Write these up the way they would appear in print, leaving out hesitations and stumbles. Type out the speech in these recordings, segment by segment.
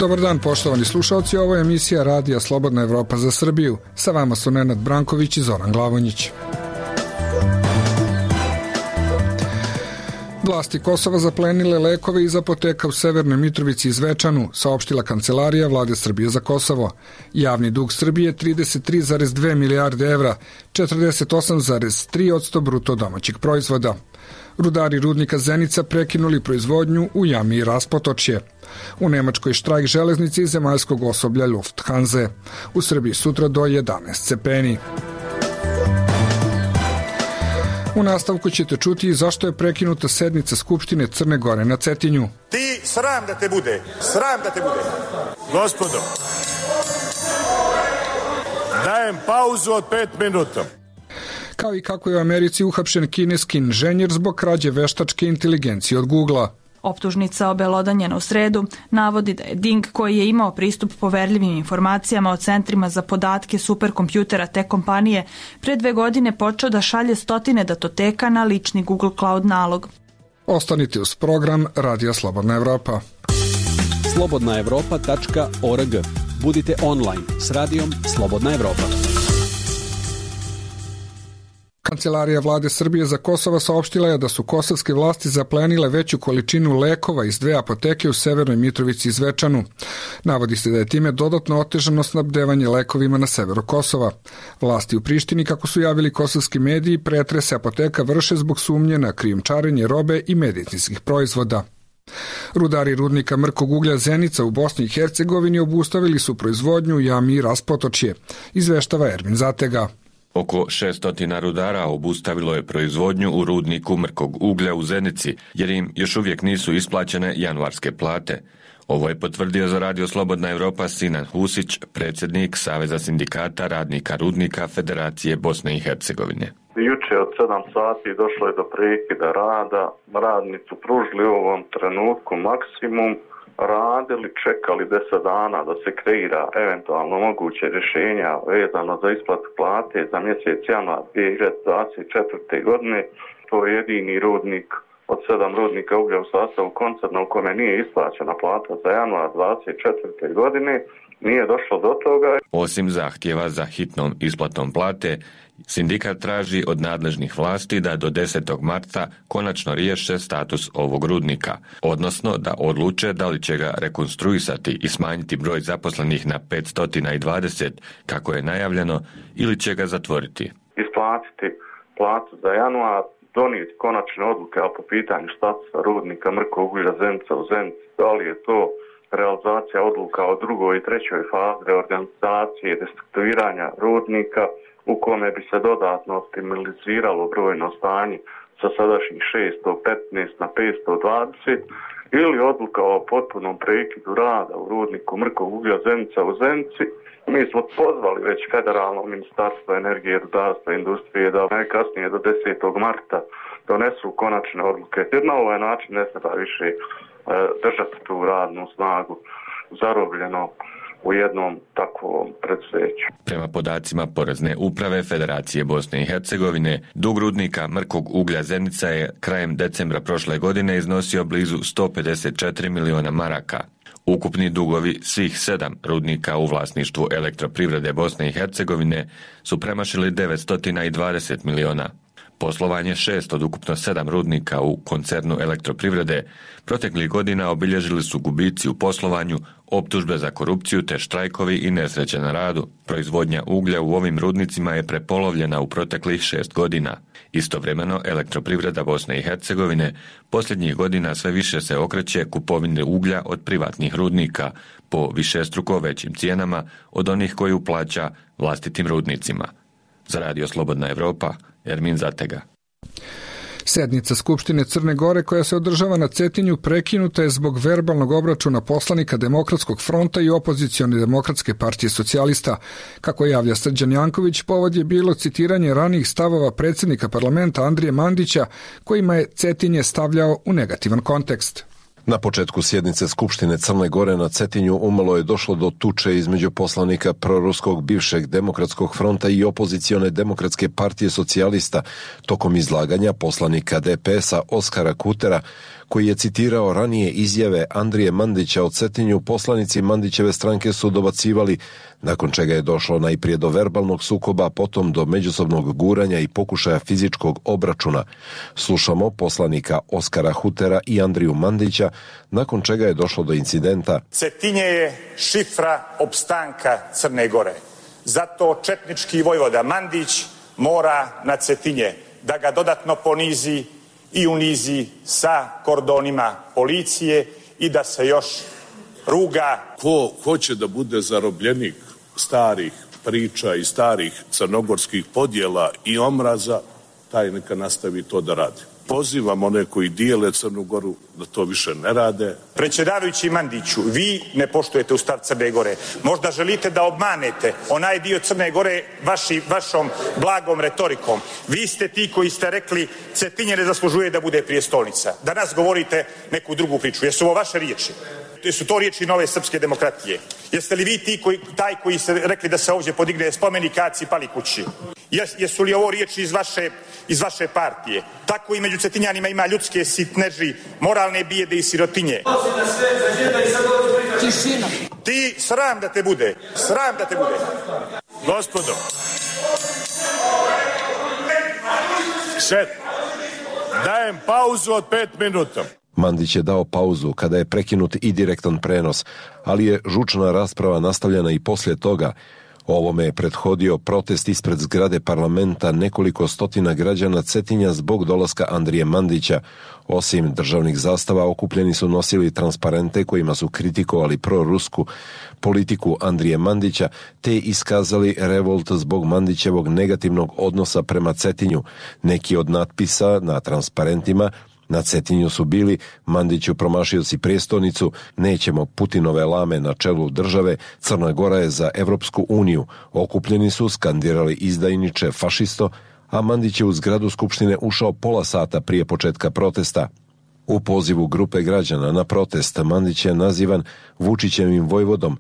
Dobar dan, poštovani slušalci, ovo je emisija Radija Slobodna Evropa za Srbiju. Sa vama su Nenad Branković i Zoran Glavonjić. Vlasti Kosova zaplenile lekove iz apoteka u Severnoj Mitrovici i Zvečanu, saopštila Kancelarija Vlade Srbije za Kosovo. Javni dug Srbije 33,2 milijarde evra, 48,3% bruto domaćeg proizvoda. Rudari rudnika Zenica prekinuli proizvodnju u jami Raspotočje. U Nemačkoj štrajk železnice i zemaljskog osoblja Lufthansa. U Srbiji sutra do 11 stepeni. U nastavku ćete čuti zašto je prekinuta sednica Skupštine Crne Gore na Cetinju. Ti sram da te bude, sram da te bude. Gospodo, dajem pauzu od 5 minuta. Kao i kako je u Americi uhapšen kineski inženjer zbog krađe veštačke inteligencije od Googlea. Optužnica obelodanjena u sredu navodi da je Ding, koji je imao pristup poverljivim informacijama o centrima za podatke superkompjutera te kompanije, pre 2 godine počeo da šalje stotine datoteka na lični Google Cloud nalog. Ostanite uz program Radija Slobodna Evropa. slobodnaevropa.org. Budite online s radijom Slobodna Evropa. Kancelarija Vlade Srbije za Kosovo saopštila je da su kosovske vlasti zaplenile veću količinu lekova iz 2 apoteke u Severnoj Mitrovici i Zvečanu. Navodi se da je time dodatno otežano snabdevanje lekovima na severu Kosova. Vlasti u Prištini, kako su javili kosovski mediji, pretrese apoteka vrše zbog sumnje na krijumčarenje robe i medicinskih proizvoda. Rudari rudnika mrkog uglja Zenica u Bosni i Hercegovini obustavili su proizvodnju u jami Raspotočje, izveštava Ermin Zatega. Oko 600 rudara obustavilo je proizvodnju u rudniku mrkog uglja u Zenici, jer im još uvijek nisu isplaćene januarske plate. Ovo je potvrdio za Radio Slobodna Evropa Sinan Husić, predsjednik Saveza sindikata radnika rudnika Federacije Bosne i Hercegovine. Juče od 7 sati došlo je do prekida rada. Radnici su pružili u ovom trenutku maksimum, radili, čekali 10 dana da se kreira eventualno moguće rješenja vezano za isplatu plate za mjesec januar 2024. godine. To je jedini rudnik od 7 rudnika uglja u sastavu koncerna u kome nije isplaćena plata za januar 2024. godine. Nije došlo do toga. Osim zahtjeva za hitnom isplatom plate, sindikat traži od nadležnih vlasti da do 10. marta konačno riješe status ovog rudnika, odnosno da odluče da li će ga rekonstruisati i smanjiti broj zaposlenih na 520, kako je najavljeno, ili će ga zatvoriti. Isplatiti platu za januar, donijeti konačne odluke po pitanju statusa rudnika mrkog uglja Zenica u Zenici, da li je to realizacija odluka o 2. i 3. fazi reorganizacije i destrukturiranja rudnika, u kome bi se dodatno optimaliziralo brojno stanje sa sadašnjih 615 na 520, ili odluka o potpunom prekidu rada u rudniku mrkog uglja Zenica u Zenici. Mi smo pozvali već federalno ministarstvo energije, rudarstva i industrije da najkasnije do 10. marta donesu konačne odluke, jer na ovaj način ne treba više držati tu radnu snagu zarobljeno u jednom takvom preduzeću. Prema podacima Porezne uprave Federacije Bosne i Hercegovine, dug rudnika mrkog uglja Zenica je krajem decembra prošle godine iznosio blizu 154 miliona maraka. Ukupni dugovi svih 7 rudnika u vlasništvu Elektroprivrede Bosne i Hercegovine su premašili 920 miliona. Poslovanje 6 od ukupno 7 rudnika u koncernu Elektroprivrede proteklih godina obilježili su gubici u poslovanju, optužbe za korupciju te štrajkovi i nesreće na radu. Proizvodnja uglja u ovim rudnicima je prepolovljena u proteklih 6 godina. Istovremeno, Elektroprivreda Bosne i Hercegovine posljednjih godina sve više se okreće kupovini uglja od privatnih rudnika po višestruko većim cijenama od onih koju plaća vlastitim rudnicima. Za Radio Slobodna Evropa, Ermin Zatega. Sednica Skupštine Crne Gore koja se održava na Cetinju prekinuta je zbog verbalnog obračuna poslanika Demokratskog fronta i opozicione Demokratske partije socijalista. Kako javlja Srđan Janković, povod je bilo citiranje ranijih stavova predsjednika parlamenta Andrije Mandića, kojima je Cetinje stavljao u negativan kontekst. Na početku sjednice Skupštine Crne Gore na Cetinju umalo je došlo do tuče između poslanika proruskog bivšeg Demokratskog fronta i opozicione Demokratske partije socijalista tokom izlaganja poslanika DPS-a Oskara Kutera, koji je citirao ranije izjave Andrije Mandića o Cetinju, poslanici Mandićeve stranke su dobacivali, nakon čega je došlo najprije do verbalnog sukoba, potom do međusobnog guranja i pokušaja fizičkog obračuna. Slušamo poslanika Oskara Hutera i Andriju Mandića, nakon čega je došlo do incidenta. Cetinje je šifra opstanka Crne Gore. Zato četnički vojvoda Mandić mora na Cetinje da ga dodatno ponizi i unizi sa kordonima policije i da se još ruga. Ko hoće da bude zarobljenik starih priča i starih crnogorskih podjela i omraza, taj neka nastavi to da radi. Pozivam one koji dijele Crnu Goru da to više ne rade. Predsjedavajući Mandiću, vi ne poštujete Ustav Crne Gore. Možda želite da obmanete onaj dio Crne Gore vašom blagom retorikom. Vi ste ti koji ste rekli Cetinje ne zaslužuje da bude prijestolnica. Danas govorite neku drugu priču. Jesu ovo vaše riječi? Jesu to riječi Nove srpske demokratije? Jeste li vi taj koji ste rekli da se ovdje podigne spomenik Aci Palikući? Jesu li ovo riječi iz vaše partije? Tako i među Cetinjanima ima ljudske sitneži, moralne bijede i sirotinje. Ti sram da te bude. Sram da te bude. Gospodo. Dajem pauzu od 5 minuta. Mandić je dao pauzu kada je prekinut i direktan prenos, ali je žučna rasprava nastavljena i poslije toga. Ovome je prethodio protest ispred zgrade parlamenta nekoliko stotina građana Cetinja zbog dolaska Andrije Mandića. Osim državnih zastava, okupljeni su nosili transparente kojima su kritikovali prorusku politiku Andrije Mandića, te iskazali revolt zbog Mandićevog negativnog odnosa prema Cetinju. Neki od natpisa na transparentima na Cetinju su bili: Mandiću promašio si prijestolnicu, nećemo Putinove lame na čelu države, Crna Gora je za Evropsku uniju. Okupljeni su skandirali izdajniče, fašisto, a Mandić je u zgradu Skupštine ušao pola sata prije početka protesta. U pozivu grupe građana na protest Mandić je nazivan Vučićevim vojvodom,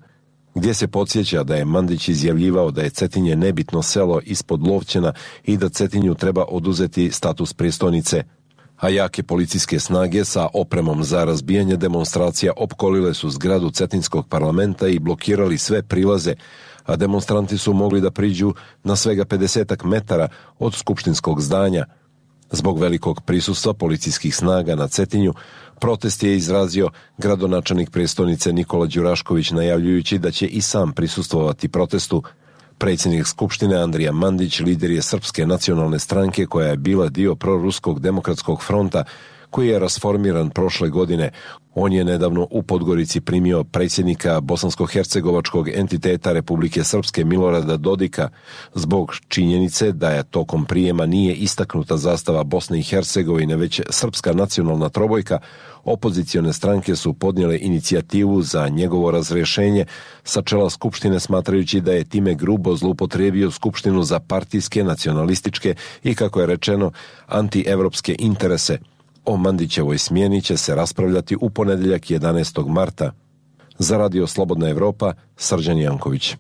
gdje se podsjeća da je Mandić izjavljivao da je Cetinje nebitno selo ispod Lovćena i da Cetinju treba oduzeti status prijestolnice. A jake policijske snage sa opremom za razbijanje demonstracija opkolile su zgradu Cetinskog parlamenta i blokirali sve prilaze, a demonstranti su mogli da priđu na svega 50 metara od skupštinskog zdanja. Zbog velikog prisustva policijskih snaga na Cetinju, protest je izrazio gradonačelnik prijestolnice Nikola Đurašković, najavljujući da će i sam prisustvovati protestu. Predsjednik Skupštine Andrija Mandić lider je Srpske nacionalne stranke koja je bila dio proruskog demokratskog fronta koji je rasformiran prošle godine. On je nedavno u Podgorici primio predsjednika bosansko-hercegovačkog entiteta Republike Srpske Milorada Dodika zbog činjenice da je tokom prijema nije istaknuta zastava Bosne i Hercegovine već Srpska nacionalna trobojka. Opozicione stranke su podnijele inicijativu za njegovo razrješenje sa čela Skupštine, smatrajući da je time grubo zloupotrijebio Skupštinu za partijske, nacionalističke i, kako je rečeno, antievropske interese. O Mandićevoj smjeni će se raspravljati u ponedjeljak 11. marta. Za Radio Slobodna Evropa, Srđan Janković.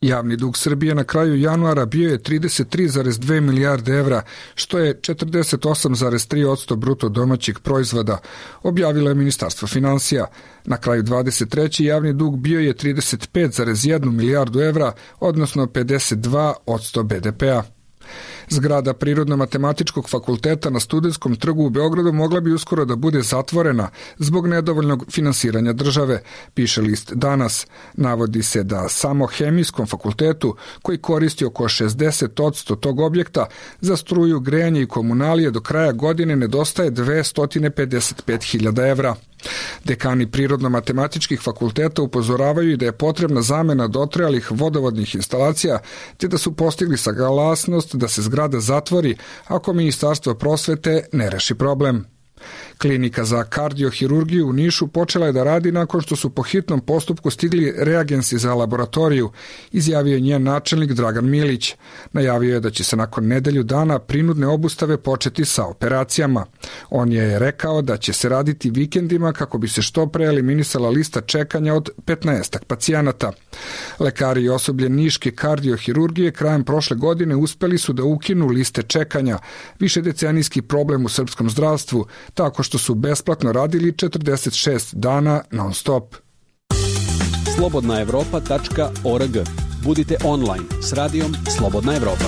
Javni dug Srbije na kraju januara bio je 33,2 milijarde evra, što je 48,3% bruto domaćeg proizvoda, objavilo je Ministarstvo finansija. Na kraju 23. javni dug bio je 35,1 milijardu evra, odnosno 52% BDP-a. Zgrada Prirodno-matematičkog fakulteta na Studentskom trgu u Beogradu mogla bi uskoro da bude zatvorena zbog nedovoljnog finansiranja države, piše list Danas. Navodi se da samo Hemijskom fakultetu, koji koristi oko 60% tog objekta, za struju, grejanje i komunalije do kraja godine nedostaje 255.000 evra. Dekani prirodno-matematičkih fakulteta upozoravaju i da je potrebna zamena dotrajalih vodovodnih instalacija, te da su postigli saglasnost da se zgrada zatvori ako Ministarstvo prosvete ne reši problem. Klinika za kardiohirurgiju u Nišu počela je da radi nakon što su po hitnom postupku stigli reagensi za laboratoriju, izjavio je njen načelnik Dragan Milić. Najavio je da će se nakon nedelju dana prinudne obustave početi sa operacijama. On je rekao da će se raditi vikendima kako bi se što pre eliminisala lista čekanja od 15 pacijenata. Lekari i osoblje Niške kardiohirurgije krajem prošle godine uspeli su da ukinu liste čekanja, višedecenijski problem u srpskom zdravstvu, tako što su besplatno radili 46 dana non-stop. slobodnaevropa.org. Budite online s radijom Slobodna Evropa.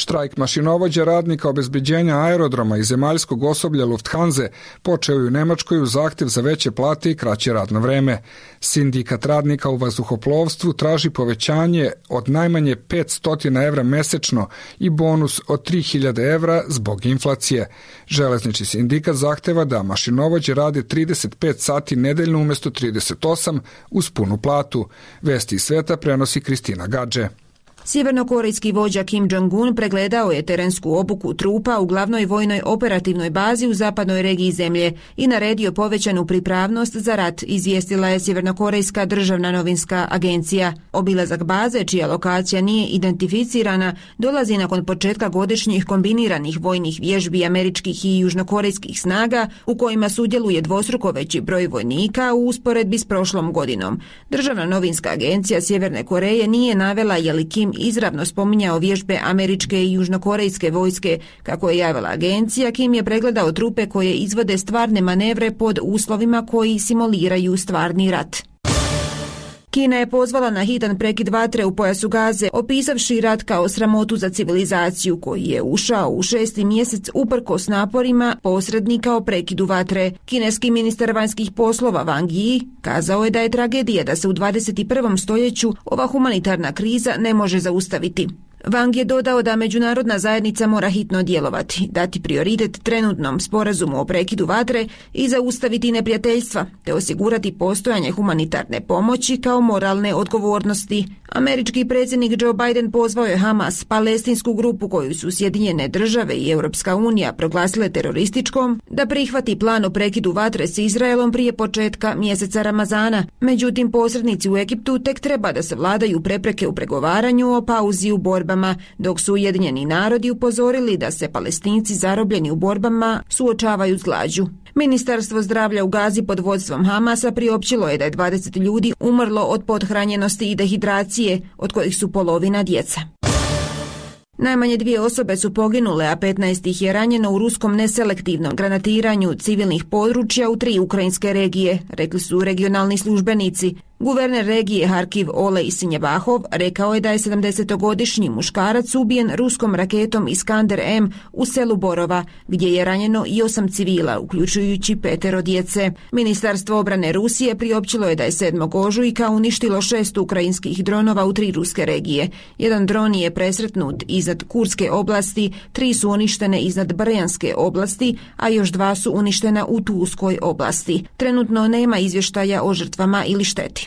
Štrajk mašinovođa radnika obezbeđenja aerodroma i zemaljskog osoblja Lufthanse počeo je u Nemačkoj uz zahtev za veće plate i kraće radno vreme. Sindikat radnika u vazduhoplovstvu traži povećanje od najmanje 500 evra mesečno i bonus od 3000 evra zbog inflacije. Železnički sindikat zahteva da mašinovođe rade 35 sati nedeljno umjesto 38 uz punu platu. Vesti iz sveta prenosi Kristina Gadže. Sjevernokorejski vođa Kim Jong-un pregledao je terensku obuku trupa u glavnoj vojnoj operativnoj bazi u zapadnoj regiji zemlje i naredio povećanu pripravnost za rat, izvijestila je Sjevernokorejska državna novinska agencija. Obilazak baze, čija lokacija nije identificirana, dolazi nakon početka godišnjih kombiniranih vojnih vježbi američkih i južnokorejskih snaga u kojima sudjeluje dvostruko veći broj vojnika u usporedbi s prošlom godinom. Državna novinska agencija Sjeverne Koreje nije navela je li Kim izravno spominjao vježbe američke i južnokorejske vojske. Kako je javila agencija, Kim je pregledao trupe koje izvode stvarne manevre pod uslovima koji simuliraju stvarni rat. Kina je pozvala na hitan prekid vatre u pojasu Gaze, opisavši rat kao sramotu za civilizaciju koji je ušao u 6. mjesec uprkos naporima posrednika o prekidu vatre. Kineski ministar vanjskih poslova Wang Yi kazao je da je tragedija da se u 21. stoljeću ova humanitarna kriza ne može zaustaviti. Wang je dodao da međunarodna zajednica mora hitno djelovati, dati prioritet trenutnom sporazumu o prekidu vatre i zaustaviti neprijateljstva, te osigurati postojanje humanitarne pomoći kao moralne odgovornosti. Američki predsjednik Joe Biden pozvao je Hamas, palestinsku grupu koju su Sjedinjene države i Europska unija proglasile terorističkom, da prihvati plan o prekidu vatre s Izraelom prije početka mjeseca Ramazana. Međutim, posrednici u Egiptu tek treba da savladaju prepreke u pregovaranju o pauzi u borbama, dok su Ujedinjeni narodi upozorili da se Palestinci zarobljeni u borbama suočavaju s glađu. Ministarstvo zdravlja u Gazi pod vodstvom Hamasa priopćilo je da je 20 ljudi umrlo od pothranjenosti i dehidracije, od kojih su polovina djeca. Najmanje 2 osobe su poginule, a 15 ih je ranjeno u ruskom neselektivnom granatiranju civilnih područja u 3 ukrajinske regije, rekli su regionalni službenici. Guverner regije Harkiv Olej Sinjebahov rekao je da je 70-godišnji muškarac ubijen ruskom raketom Iskander M u selu Borova, gdje je ranjeno i 8 civila, uključujući 5 djece. Ministarstvo obrane Rusije priopćilo je da je 7. ožujka uništilo 6 ukrajinskih dronova u 3 ruske regije. Jedan dron je presretnut iznad Kurske oblasti, 3 su uništene iznad Brjanske oblasti, a još 2 su uništena u Tulskoj oblasti. Trenutno nema izvještaja o žrtvama ili šteti.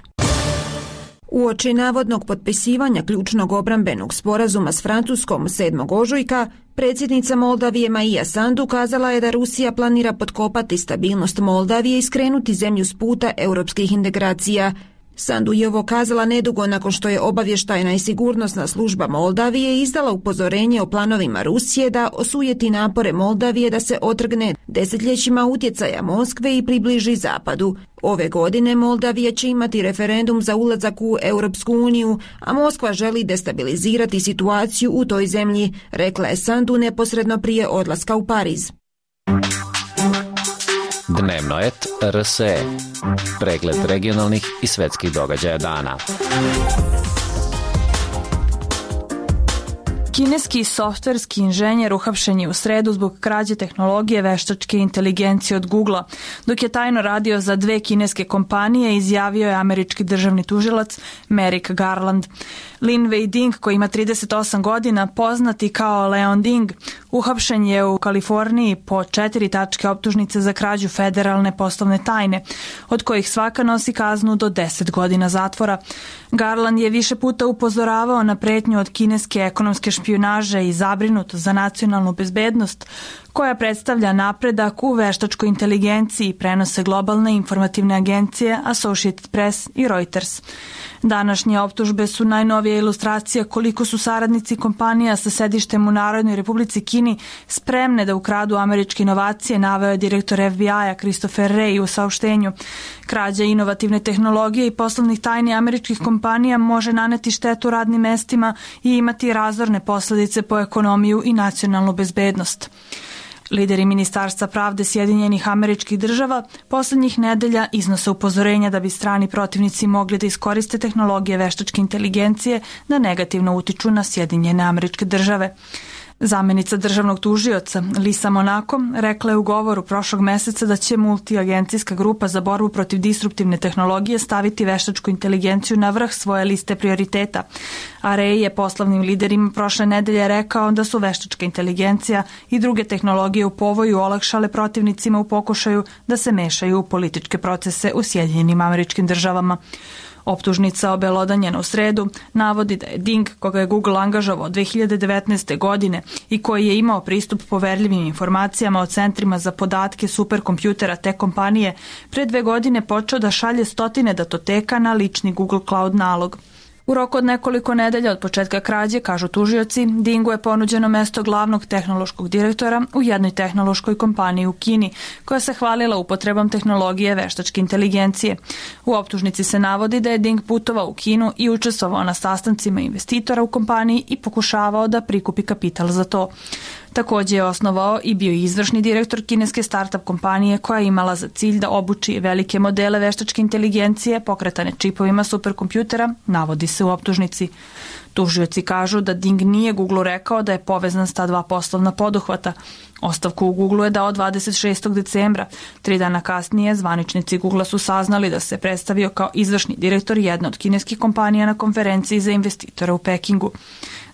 Uoči navodnog potpisivanja ključnog obrambenog sporazuma s Francuskom 7. ožujka, predsjednica Moldavije Maja Sandu kazala je da Rusija planira potkopati stabilnost Moldavije i skrenuti zemlju s puta europskih integracija. Sandu je ovo kazala nedugo nakon što je obavještajna i sigurnosna služba Moldavije izdala upozorenje o planovima Rusije da osujeti napore Moldavije da se otrgne desetljećima utjecaja Moskve i približi zapadu. Ove godine Moldavija će imati referendum za ulazak u Europsku uniju, a Moskva želi destabilizirati situaciju u toj zemlji, rekla je Sandu neposredno prije odlaska u Pariz. Dnevnoet RSE. Pregled regionalnih i svetskih događaja dana. Kineski softverski inženjer uhapšen je u sredu zbog krađe tehnologije veštačke inteligencije od Googlea. Dok je tajno radio za 2 kineske kompanije, izjavio je američki državni tužilac Merrick Garland. Lin Wei Ding, koji ima 38 godina, poznati kao Leon Ding, uhapšen je u Kaliforniji po 4 tačke optužnice za krađu federalne poslovne tajne, od kojih svaka nosi kaznu do 10 godina zatvora. Garland je više puta upozoravao na pretnju od kineske ekonomske špijunaže i zabrinut za nacionalnu bezbednost, koja predstavlja napredak u veštačkoj inteligenciji, prenose globalne informativne agencije Associated Press i Reuters. Današnje optužbe su najnovija ilustracija koliko su saradnici kompanija sa sedištem u Narodnoj Republici Kini spremne da ukradu američke inovacije, naveo je direktor FBI-a Christopher Wray u saopštenju. Krađa inovativne tehnologije i poslovnih tajni američkih kompanija može naneti štetu radnim mestima i imati razorne posljedice po ekonomiju i nacionalnu bezbednost. Lideri Ministarstva pravde Sjedinjenih Američkih Država poslednjih nedelja iznose upozorenja da bi strani protivnici mogli da iskoriste tehnologije veštačke inteligencije da negativno utiču na Sjedinjene Američke Države. Zamenica državnog tužioca Lisa Monaco rekla je u govoru prošlog meseca da će multiagencijska grupa za borbu protiv disruptivne tehnologije staviti veštačku inteligenciju na vrh svoje liste prioriteta. A Ray je poslovnim liderima prošle nedelje rekao da su veštačka inteligencija i druge tehnologije u povoju olakšale protivnicima u pokušaju da se mešaju u političke procese u Sjedinjenim Američkim Državama. Optužnica obelodanjena u sredu navodi da je Ding, koga je Google angažovao 2019. godine i koji je imao pristup poverljivim informacijama o centrima za podatke superkompjutera te kompanije, pre 2 godine počeo da šalje stotine datoteka na lični Google Cloud nalog. U roku od nekoliko nedelja od početka krađe, kažu tužioci, Dingu je ponuđeno mesto glavnog tehnološkog direktora u jednoj tehnološkoj kompaniji u Kini, koja se hvalila upotrebom tehnologije veštačke inteligencije. U optužnici se navodi da je Ding putovao u Kinu i učestvovao na sastancima investitora u kompaniji i pokušavao da prikupi kapital za to. Takođe je osnovao i bio izvršni direktor kineske startup kompanije koja je imala za cilj da obuči velike modele veštačke inteligencije pokretane čipovima superkompjutera, navodi se u optužnici. Tužioci kažu da Ding nije Google rekao da je povezan s ta 2 poslovna poduhvata. Ostavku u Google je dao 26. decembra. 3 dana kasnije zvaničnici Google su saznali da se predstavio kao izvršni direktor jedne od kineskih kompanija na konferenciji za investitore u Pekingu.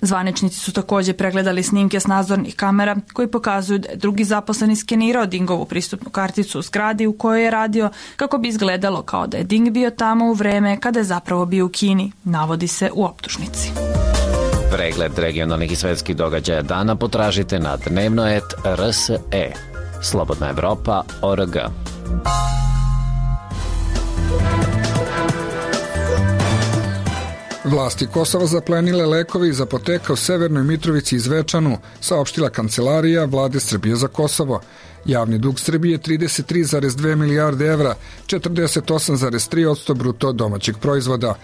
Zvaničnici su takođe pregledali snimke s nadzornih kamera koji pokazuju da je drugi zaposleni skenirao Dingovu pristupnu karticu u zgradi u kojoj je radio kako bi izgledalo kao da je Ding bio tamo u vreme kada je zapravo bio u Kini, navodi se u optužnici. Pregled regionalnih i svetskih događaja dana potražite na dnevnoet.rse. Slobodna Evropa.org. Vlasti Kosova zaplenile lekove iz apoteka u Severnoj Mitrovici i Zvečanu, saopštila Kancelarija vlade Srbije za Kosovo. Javni dug Srbije 33,2 milijarde evra, 48,3% bruto domaćeg proizvoda.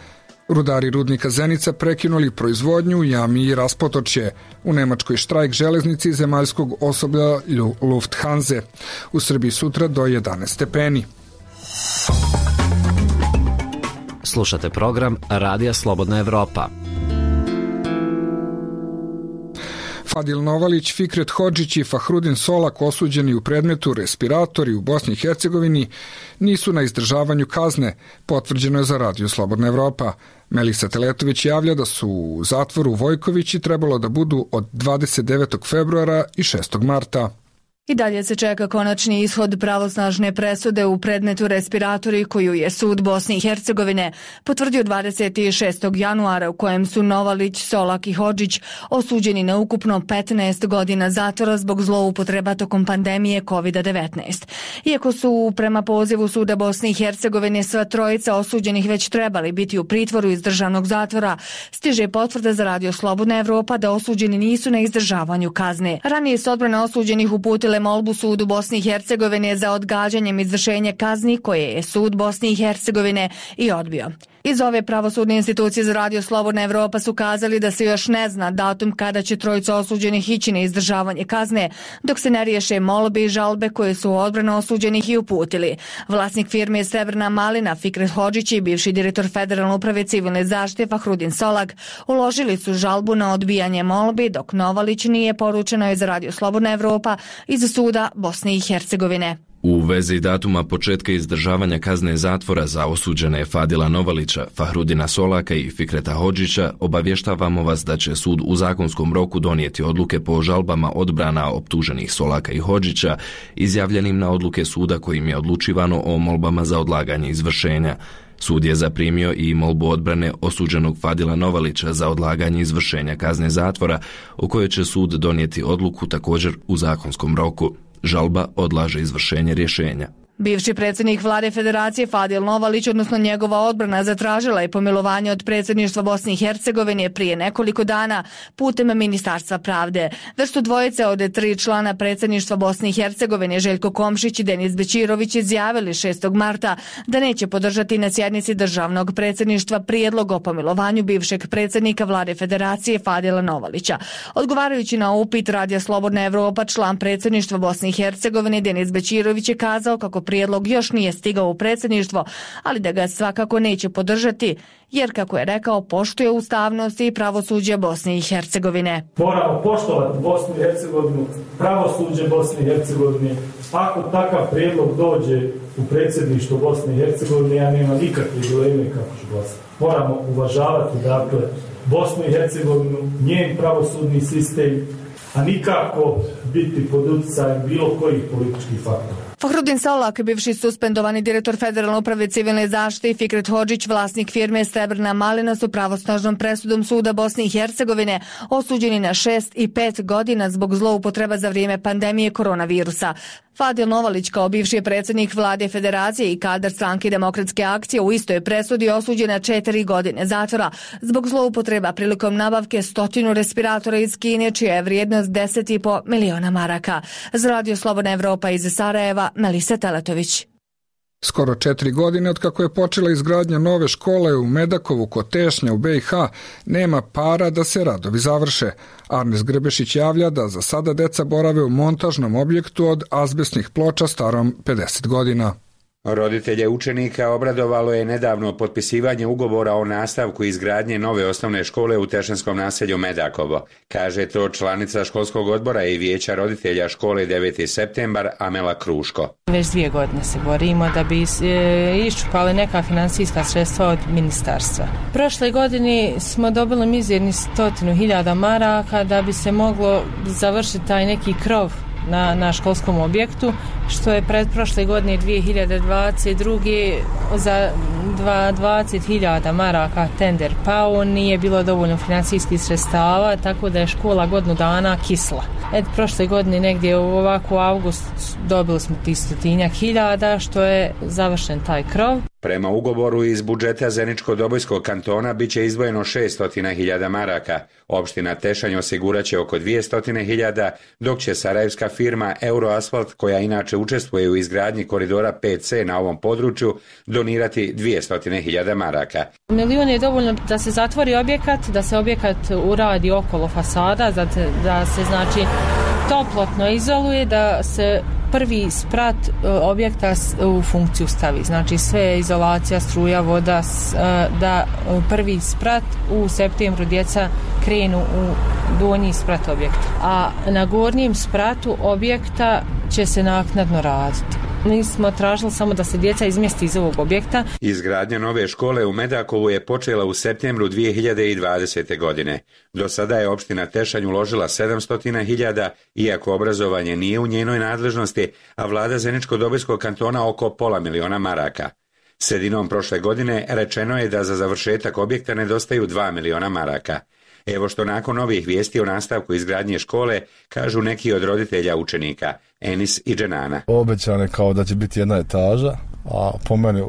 Rudari rudnika Zenica prekinuli proizvodnju u jami i raspotočje. U Nemačkoj štrajk železnici i zemaljskog osoblja Lufthanse. U Srbiji sutra do 11 stepeni. Slušate program Radija Slobodna Evropa. Fadil Novalić, Fikret Hodžić i Fahrudin Solak, osuđeni u predmetu respiratori u Bosni i Hercegovini, nisu na izdržavanju kazne, potvrđeno je za Radio Slobodna Evropa. Melisa Teletović javlja da su u zatvoru Vojkovići trebalo da budu od 29. februara i 6. marta. I dalje se čeka konačni ishod pravosnažne presude u predmetu respiratori koju je sud Bosne i Hercegovine potvrdio 26. januara u kojem su Novalić, Solak i Hodžić osuđeni na ukupno 15 godina zatvora zbog zloupotreba tokom pandemije COVID-19. Iako su prema pozivu suda Bosne i Hercegovine sva trojica osuđenih već trebali biti u pritvoru iz državnog zatvora, stiže potvrda za Radio Slobodna Evropa da osuđeni nisu na izdržavanju kazne. Ranije su odbrane osuđenih uputile molbu sudu Bosne i Hercegovine za odgađanjem izvršenja kazni koje je sud Bosne i Hercegovine i odbio. Iz ove pravosudne institucije za Radio Slobodna Evropa su kazali da se još ne zna datum kada će trojica osuđenih ići na izdržavanje kazne, dok se ne riješe molbe i žalbe koje su odbrane osuđenih i uputili. Vlasnik firme Srebrna malina Fikret Hodžić i bivši direktor Federalne uprave civilne zaštite Fahrudin Solak uložili su žalbu na odbijanje molbi, dok Novalić nije, poručeno je za Radio Slobodna Evropa iz suda Bosne i Hercegovine. U vezi datuma početka izdržavanja kazne zatvora za osuđene Fadila Novalića, Fahrudina Solaka i Fikreta Hodžića obavještavamo vas da će sud u zakonskom roku donijeti odluke po žalbama odbrana optuženih Solaka i Hodžića, izjavljenim na odluke suda kojim je odlučivano o molbama za odlaganje izvršenja. Sud je zaprimio i molbu odbrane osuđenog Fadila Novalića za odlaganje izvršenja kazne zatvora, o kojoj će sud donijeti odluku također u zakonskom roku. Žalba odlaže izvršenje rješenja. Bivši predsjednik vlade Federacije Fadil Novalić, odnosno njegova odbrana, zatražila je pomilovanje od predsjedništva Bosne i Hercegovine prije nekoliko dana putem Ministarstva pravde. Već su dvojice od 3 člana predsjedništva Bosne i Hercegovine, Željko Komšić i Denis Bećirović, izjavili 6. marta da neće podržati na sjednici državnog predsjedništva prijedlog o pomilovanju bivšeg predsjednika vlade Federacije Fadila Novalića. Odgovarajući na upit Radija Slobodna Evropa, član predsjedništva Bosne i Hercegovine Denis Bećirović je kazao kako prijedlog još nije stigao u predsjedništvo, ali da ga svakako neće podržati, jer, kako je rekao, poštuje ustavnost i pravosuđe Bosne i Hercegovine. Moramo poštovati Bosnu i Hercegovinu, pravosuđe Bosne i Hercegovine. Ako takav prijedlog dođe u predsjedništvo Bosne i Hercegovine, ja nema nikakve dileme kako ću glasati. Moramo uvažavati, dakle, Bosnu i Hercegovinu, njen pravosudni sistem, a nikako biti pod utjecajem bilo kojih političkih faktora. Fahrudin Solak, bivši suspendovani direktor Federalne uprave civilne zaštite, i Fikret Hodžić, vlasnik firme Srebrna malina, su pravosnažnom presudom suda Bosne i Hercegovine osuđeni na 6 i 5 godina zbog zloupotreba za vrijeme pandemije koronavirusa. Fadil Novalić, kao bivši predsjednik vlade Federacije i kadar stranke Demokratske akcije, u istoj presudi osuđen na 4 godine zatvora zbog zloupotreba prilikom nabavke 100 respiratora iz Kine, čija je vrijednost 10,5 miliona maraka. Za Radio Slobodna Evropa iz Sarajeva, Melisa Teletović. Skoro 4 godine od kako je počela izgradnja nove škole u Medakovu kod Tešnja u BiH, nema para da se radovi završe. Arnes Grbešić javlja da za sada deca borave u montažnom objektu od azbestnih ploča starom 50 godina. Roditelje učenika obradovalo je nedavno potpisivanje ugovora o nastavku izgradnje nove osnovne škole u tešanskom naselju Medakovo. Kaže to članica školskog odbora i vijeća roditelja škole 9. septembar Amela Kruško. Već 2 godine se borimo da bi iščupali neka financijska sredstva od ministarstva. Prošle godine smo dobili mizerni 100.000 maraka da bi se moglo završiti taj neki krov na školskom objektu, što je pred prošle godine 2022. za 20.000 maraka tender pao, nije bilo dovoljno financijskih sredstava, tako da je škola godinu dana kisla. Prošle godine negdje u ovako avgust dobili smo 100.000, što je završen taj krov. Prema ugovoru iz budžeta Zeničko-Dobojskog kantona biće izdvojeno 600.000 maraka. Opština Tešanj osiguraće oko 200.000, dok će sarajevska firma Euroasfalt, koja inače učestvuje u izgradnji koridora 5C na ovom području, donirati 200.000 maraka. Milion je dovoljno da se zatvori objekat, da se objekat uradi okolo fasada, da se znači toplotno izoluje, da se prvi sprat objekta u funkciju stavi. Znači sve izolacija, struja, voda, da prvi sprat u septembru djeca krenu u donji sprat objekta. A na gornjem spratu objekta će se naknadno raditi. Mi smo tražili samo da se djeca izmjesti iz ovog objekta. Izgradnja nove škole u Medakovu je počela u septembru 2020. godine. Do sada je opština Tešanj uložila 700.000, iako obrazovanje nije u njenoj nadležnosti, a vlada Zeničko-Dobojskog kantona oko $500.000 maraka. Sredinom prošle godine rečeno je da za završetak objekta nedostaju 2 miliona maraka. Evo što nakon ovih vijesti o nastavku izgradnje škole kažu neki od roditelja učenika, Enis i Dženana. Obećano je kao da će biti jedna etaža, a po meni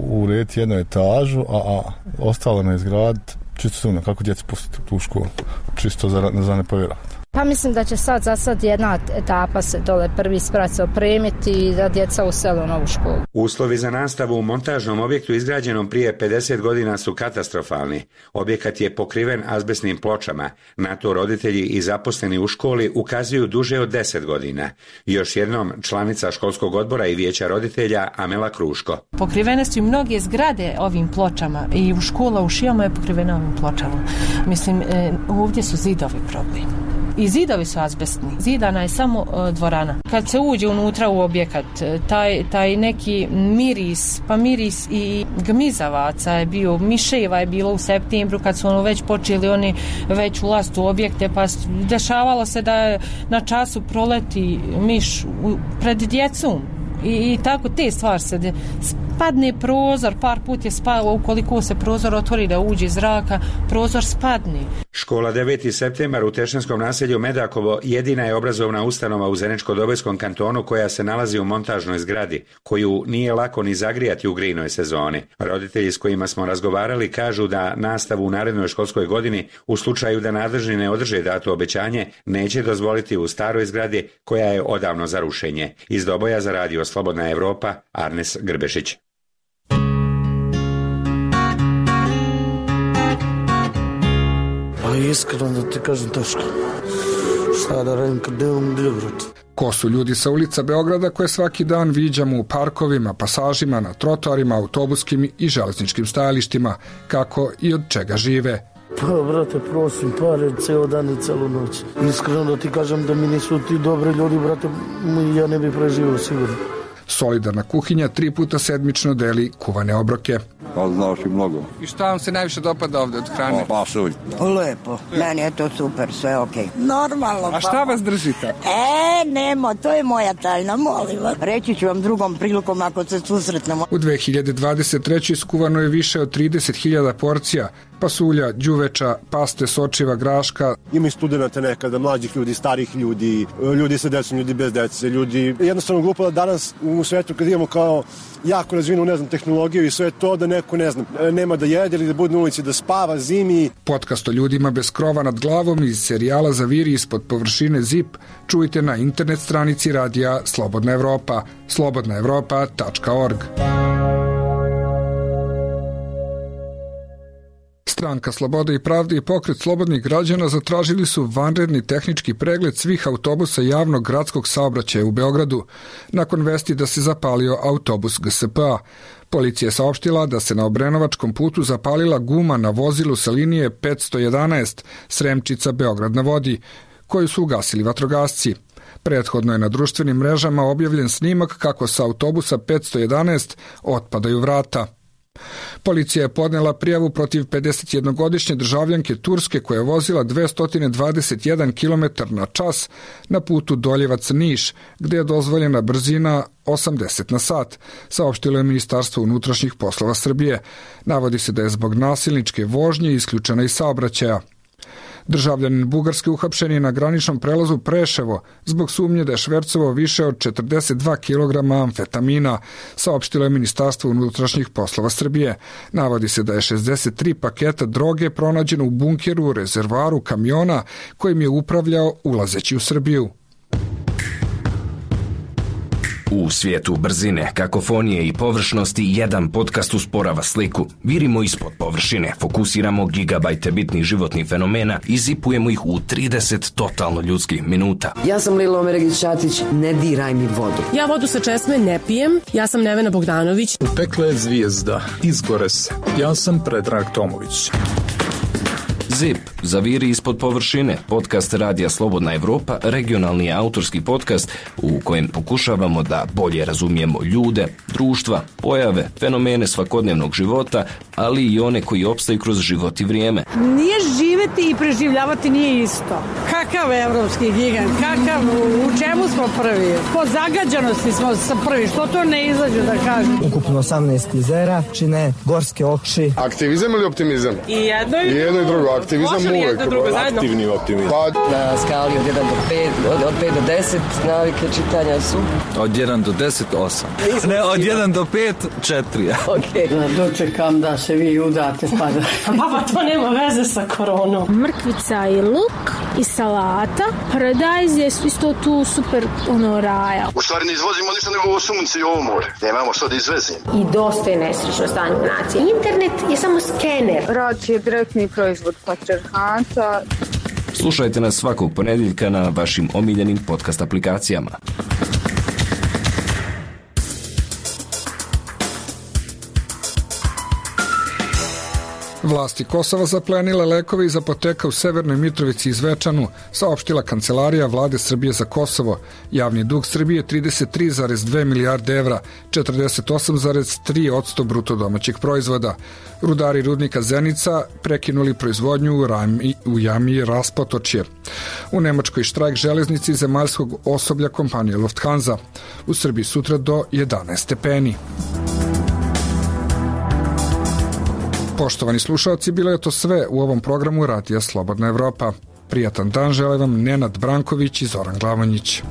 urediti jednu etažu, a ostalo ne izgraditi. Čisto sumnjam kako djeca pustiti tu školu, čisto za ne povjerovati. Pa mislim da će za sad jedna etapa se dole prvi sprat se opremiti i da djeca usele u novu školu. Uslovi za nastavu u montažnom objektu izgrađenom prije 50 godina su katastrofalni. Objekat je pokriven azbestnim pločama. Na to roditelji i zaposleni u školi ukazuju duže od 10 godina. Još jednom članica školskog odbora i vijeća roditelja Amela Kruško. Pokrivene su i mnoge zgrade ovim pločama i u škola u Šijama je pokrivena ovim pločama. Mislim, ovdje su zidovi problem. I zidovi su azbestni. Zidana je samo dvorana. Kad se uđe unutra u objekat, taj neki miris, pa miris i gmizavaca je bio, miševa je bilo u septembru kad su već počeli oni već ulaziti u objekte, pa dešavalo se da na času proleti miš pred djecom. I tako te stvari se padne prozor, par put je spao, ukoliko se prozor otvori da uđe zraka, prozor spadne. Škola 9. septembar u Tešenskom naselju Medakovo jedina je obrazovna ustanova u Zeničko-Dobojskom kantonu koja se nalazi u montažnoj zgradi, koju nije lako ni zagrijati u grijnoj sezoni. Roditelji s kojima smo razgovarali kažu da nastavu u narednoj školskoj godini, u slučaju da nadležni ne održe dato obećanje, neće dozvoliti u staroj zgradi koja je odavno za rušenje. Iz Doboja za radio Slobodna Evropa, Arnes Grbešić. Pa iskreno da ti kažem teško. Šta da radim kad nemam gdje, brate? Ko su ljudi sa ulica Beograda koje svaki dan viđamo u parkovima, pasažima, na trotoarima, autobuskim i železničkim stajalištima, kako i od čega žive? Pa, brate, prosim, pare ceo dan i celu noć. Iskreno da ti kažem da mi nisu ti dobri ljudi, brate, ja ne bih preživio sigurno. Solidarna kuhinja 3 puta sedmično deli kuvane obroke. Pa znaš i mnogo. I šta vam se najviše dopada ovde od hrane? Pasulj. Lepo, meni je to super, sve okej. Normalno. A šta vas držite? Nemo, to je moja tajna, molim vas. Reći ću vam drugom prilikom ako se susretnemo. U 2023. skuvano je više od 30.000 porcija pasulja, đuveča, paste, sočiva, graška. Ima i studenta nekada, mlađih ljudi, starih ljudi, ljudi sa decom, ljudi bez dece, ljudi. Jednostavno glupo da danas u svetu kad imamo kao jako razvinu, ne znam, tehnologiju i sve to da neko, ne znam, nema da jede ili da bude na ulici, da spava zimi. Podcast o ljudima bez krova nad glavom iz serijala Zaviri ispod površine ZIP čujte na internet stranici radija Slobodna Evropa, slobodnaevropa.org. Stranka Slobode i pravde i pokret slobodnih građana zatražili su vanredni tehnički pregled svih autobusa javnog gradskog saobraćaja u Beogradu, nakon vesti da se zapalio autobus GSP-a. Policija je saopštila da se na Obrenovačkom putu zapalila guma na vozilu sa linije 511 Sremčica Beograd na vodi, koju su ugasili vatrogasci. Prethodno je na društvenim mrežama objavljen snimak kako sa autobusa 511 otpadaju vrata. Policija je podnela prijavu protiv 51-godišnje državljanke Turske koja je vozila 221 km na čas na putu Doljevac-Niš, gde je dozvoljena brzina 80 na sat, saopštilo je Ministarstvo unutrašnjih poslova Srbije. Navodi se da je zbog nasilničke vožnje isključena iz saobraćaja. Državljanin Bugarske uhapšen je na graničnom prelazu Preševo zbog sumnje da je švercovao više od 42 kg amfetamina, saopštilo je Ministarstvo unutrašnjih poslova Srbije. Navodi se da je 63 paketa droge pronađeno u bunkeru u rezervoaru kamiona kojim je upravljao ulazeći u Srbiju. U svijetu brzine, kakofonije i površnosti jedan podcast usporava sliku. Virimo ispod površine, fokusiramo gigabajte bitnih životnih fenomena i zipujemo ih u 30 totalno ljudskih minuta. Ja sam Lila Omeregić-Ćatić, ne diraj mi vodu. Ja vodu sa česme ne pijem, ja sam Nevena Bogdanović. Pekla je zvijezda, izgore se. Ja sam Predrag Tomović. ZIP, Zaviri ispod površine, podcast radija Slobodna Evropa, regionalni autorski podcast u kojem pokušavamo da bolje razumijemo ljude, društva, pojave, fenomene svakodnevnog života, ali i one koji opstaju kroz život i vrijeme. Nije živeti i preživljavati nije isto. Kakav evropski gigant, kakav, u čemu smo prvi? Po zagađanosti smo prvi, što to ne izađu da kažem? Ukupno 18 klizera, čine gorske oči. Aktivizam ili optimizam? I jedno i drugo. Aktivizam uvek, aktivni optimizam. Na skali od 1 do 5, od 5 do 10 navike čitanja su? Od 1 do 10, 8. Ne, od 1 do 5, 4. Ok. Dočekam da se vi udate pa da... Baba, to nema veze sa koronom. Mrkvica i luk i salata. Paradajz je isto tu super raja. U stvari ne izvozimo ništa nego ovo sunce i ovo more. Nemamo što da izvezimo. I dosta je nesrećno stanje u naciji. Internet je samo skener. Rad je direktni proizvod patriarhata. Slušajte nas svakog ponedjeljka na vašim omiljenim podcast aplikacijama. Vlasti Kosova zaplenile lekove iz apoteka u Severnoj Mitrovici i Zvečanu, saopštila Kancelarija vlade Srbije za Kosovo. Javni dug Srbije je 33,2 milijarde evra, 48,3% bruto domaćeg proizvoda. Rudari rudnika Zenica prekinuli proizvodnju u jami Raspotočje. U Nemačkoj štrajk železnici zemaljskog osoblja kompanije Lufthansa. U Srbiji sutra do 11 stepeni. Poštovani slušalci, bilo je to sve u ovom programu Radija Slobodna Evropa. Prijatan dan žele vam Nenad Branković i Zoran Glavonjić.